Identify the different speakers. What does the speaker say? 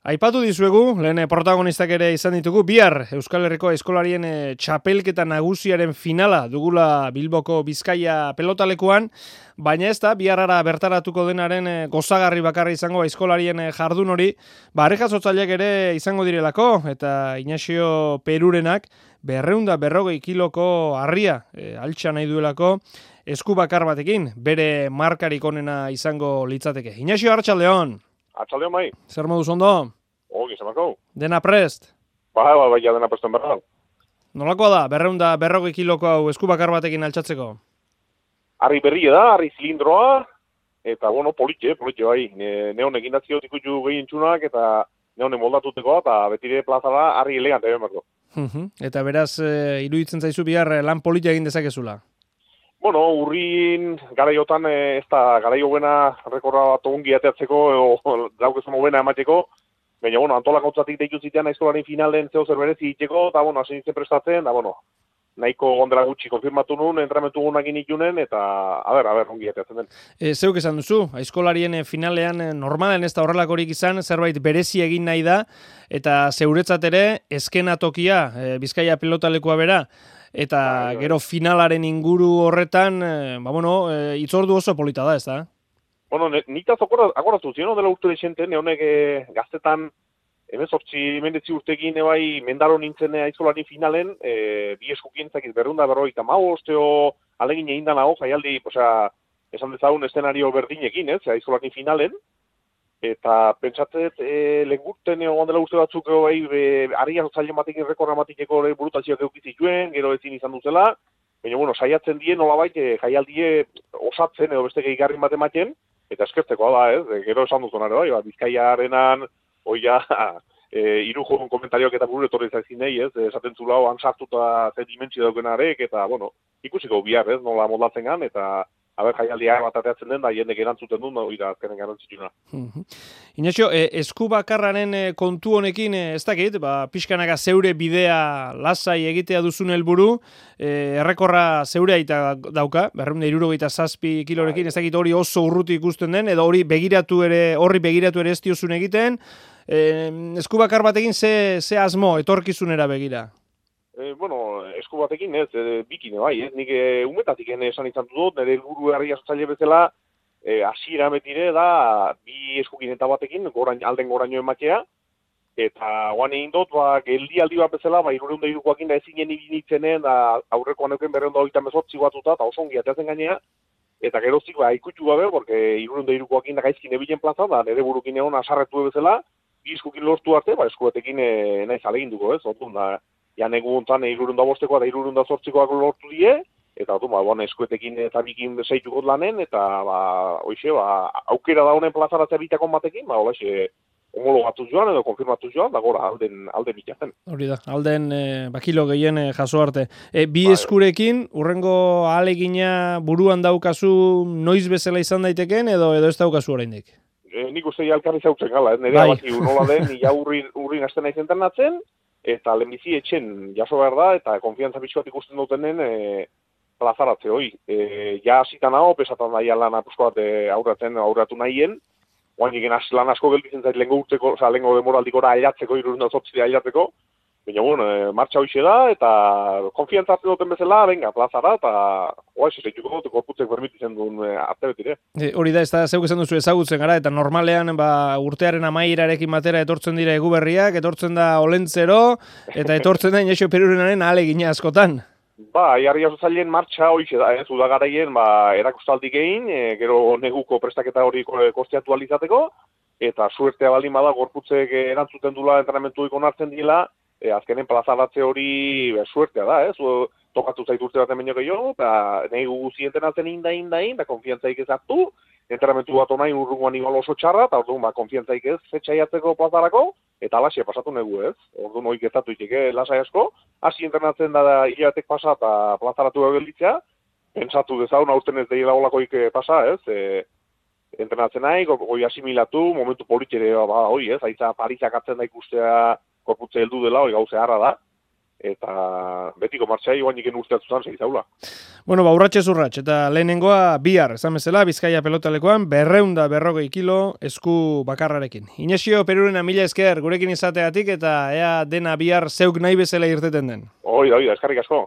Speaker 1: Aipatu dizuegu, lehen protagonistak ere izan ditugu, bihar Euskal Herriko eskolarien txapelketa nagusiaren finala dugula Bilboko Bizkaia pelotalekuan, baina ez da, biharara bertaratuko denaren gozagarri bakarra izango eskolarien jardun hori, jasotzaileak ere izango direlako, eta Inaxio Perurenak 240 kiloko harria altxa nahi duelako esku bakar batekin, bere markarik onena izango litzateke. Inaxio, arratsaldeon.
Speaker 2: Atxaldeon bai.
Speaker 1: Zer moduz ondo?
Speaker 2: Ogi, zemako.
Speaker 1: Dena prest?
Speaker 2: Bai, ja dena presten berra.
Speaker 1: Nolakoa da, 240 kiloko hau esku bakar batekin altxatzeko?
Speaker 2: Harri berri da, harri zilindroa, eta, politxe bai. Neon egin datzio tikutu gehien txunak, eta neonen moldatuteko, eta betire plaza da, harri elegante behar.
Speaker 1: Eta beraz, iruditzen zaizu bihar lan politia egin dezakezula?
Speaker 2: Urrin garaiotan ez da garaio buena rekorra bat ongi ateatzeko, daukezun buena emateko, baina, antolakautzatik deitu zitean eskolaren finalen zeo zer berezi itxeko, eta, hasi nintzen prestatzen, da, nahiko gondela gutxi konfirmatu nun, entramentu gunakin itunen, eta, a ber, ongi ateatzen den.
Speaker 1: Zeuk esan duzu, eskolarien finalean normalen ez da horrelakorik izan, zerbait berezi egin nahi da, eta zeuretzat ere, eskenatokia, Bizkaia pelotalekua bera, eta gero finalaren inguru horretan, itzordu oso polita da, ez da?
Speaker 2: Nitaz akoratu zion dela urte desenten, neonek gaztetan, 18 urtekin ebai mendaro nintzen aizkolari finalen, bi eskukien zakiz 250 alegin egin danago, jaialdi, esan dezagun eszenario berdinekin, aizkolari finalen, eta pentsatzet legurten egon dela uste batzuk harria zailo batekin rekorra batikeko burutazioak eukizituen, gero ezin izan duzela, baina, saiatzen die nolabait jaialdie osatzen edo beste gehigarrin bat ematen, eta eskertzekoa da, gero esan duzun ere, Bizkaiarenan, irujon komentarioak eta buru etorri zaizkin nahi, esaten zula han sartuta zen dimentsio daukenarek, eta, ikusiko bihar, nola moldatzen gan, eta jaialdia bat ateatzen den, da jendek erantzuten duen, azkenen garantzituna.
Speaker 1: Inaxio, esku bakarraren kontu honekin, ez dakit, pixkanaka zeure bidea lasai egitea duzun helburu, errekorra zeurea eta dauka, 267 kilorekin, ez dakit hori oso urruti ikusten den, edo horri begiratu ere ez diozun egiten, esku bakar batekin ze asmo, etorkizunera begira?
Speaker 2: Esku batekin ez, bikine bai, nik umetatik esan izan dut, nire helburu herri jasotzaile bezala, hasiera betire da, bi eskukin eta batekin, alden goraino ematea, eta guan egin dut, geldialdi bat bezala, 200 da ezinen ibinitzenen, da aurrekoan euken 228 batuta, eta oso ongi ateatzen gainea, eta gerozik ikutxu gabe, porque 200 da gaizkin ebilen plaza, da nire burukin egon asarretu bezala, bi eskukin lortu arte, esku batekin nahiz alegin duko, otun da, ja neguntan 205 eta 208koak lortu die, eta eskuetekin eta bikin zeituko lanen, eta aukera da honen plazaratzea bitakon batekin, homologatu joan edo konfirmatu joan, da gora alden bitazen.
Speaker 1: Hori da, alden kilo gehien jaso arte. Bi eskurekin, urrengo ahalegina buruan daukazu noiz bezala izan daiteken, edo ez daukazu oraindik?
Speaker 2: Nik uste alkarri zautzen gala, nire abaki nola den, ja urrin asten nahi zenternatzen, eta lehenbizi etxen jaso behar da, eta konfiantza bitxu bat ikusten dutenen plazaratze hoi. Ja zitan hau, pesatan daia lan apusko bat aurratu nahien, oain egin lan asko gelditzen zait lehenko demoraldikora ailatzeko, 208 ailatzeko, baina, martxa hoxe da, eta konfiantza hartzen duten bezala, venga, plazara, eta zeituko dut, korputzek permititzen duen arte betire.
Speaker 1: Hori da, ez da, zeuk esan duzu ezagutzen gara, eta normalean urtearen amaierarekin batera etortzen dira eguberriak, etortzen da olentzero, eta etortzen da Inaxio Perurenaren ahalegina askotan.
Speaker 2: Jarri jasotzaileen martxa hoxe da, udagaraien erakustaldik egin, gero neguko prestaketa hori kosteatu alizateko, eta suertea baldin bada gorputzek erantzuten dula entrenamentu ikon hartzen dila, azkenen plazaratze hori suertea da, tokatu zaitu urte baten baino gehiago, eta nahi guzienten atzen indain, da konfiantzaik ez hartu, entrenamentu bat onain urrungoan igual oso txarra, eta orduan konfiantzaik ez zetxaiatzeko plazarako, eta alaxia pasatu negu ez, orduan hori gertatu iteke lasai asko, hasi entrenatzen da hilabetek pasa eta plazaratu gelditzea, pentsatu dezaun aurten ez deila olakoik pasa ez, entrenatzen nahi, goi asimilatu, momentu politxere, aitza Parisak atzen da ikustea korputze heldu dela, hori gauze harra da, eta betiko martxai guain iken usteatu zan zeizaula.
Speaker 1: Bueno, urratxez urratx, eta lehenengoa bihar, esan bezala, Bizkaia pelotalekoan, 240 kilo esku bakarrarekin. Inesio Perurena, mila esker gurekin izateatik, eta ea dena bihar zeuk nahi bezala irteten den.
Speaker 2: Hoi da, eskarrik asko.